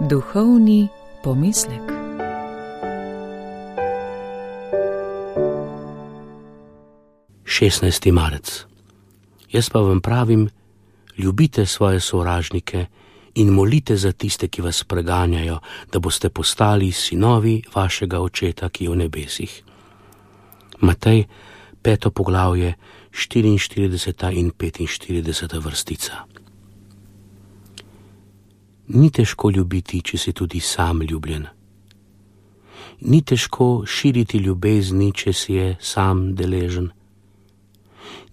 Duhovni pomislek. Šestnajsti marec. Jaz pa vam pravim, ljubite svoje sovražnike in molite za tiste, ki vas preganjajo, da boste postali sinovi vašega Očeta, ki je v nebesih. Matej, 5. poglavje, 44. in 45. vrstica. Ni težko ljubiti, če si tudi sam ljubljen. Ni težko širiti ljubezni, če si je sam deležen.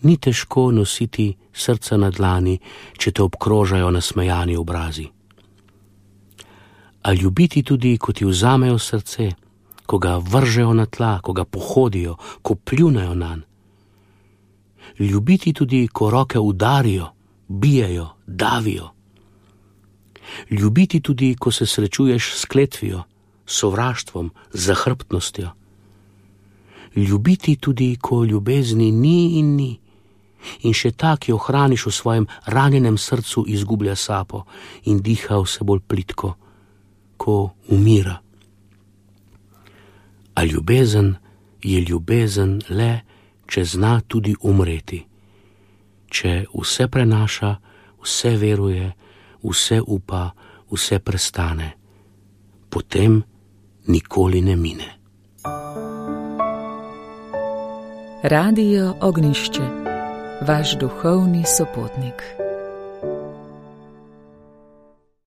Ni težko nositi srca na dlani, če te obkrožajo nasmejani obrazi. A ljubiti tudi, ko ti vzamejo srce, ko ga vržejo na tla, ko ga pohodijo, ko pljunejo nanj. Ljubiti tudi, ko roke udarijo, bijejo, davijo. Ljubiti tudi, ko se srečuješ s kletvijo, sovraštvom, zahrbtnostjo. Ljubiti tudi, ko ljubezni ni in ni, in še ta, ki jo hraniš v svojem ranjenem srcu, izgublja sapo in diha vse bolj plitko, ko umira. A ljubezen je ljubezen le, če zna tudi umreti, če vse prenaša, vse veruje, vse upa, vse prestane, potem nikoli ne mine. Radio Ognjišče, vaš duhovni sopotnik.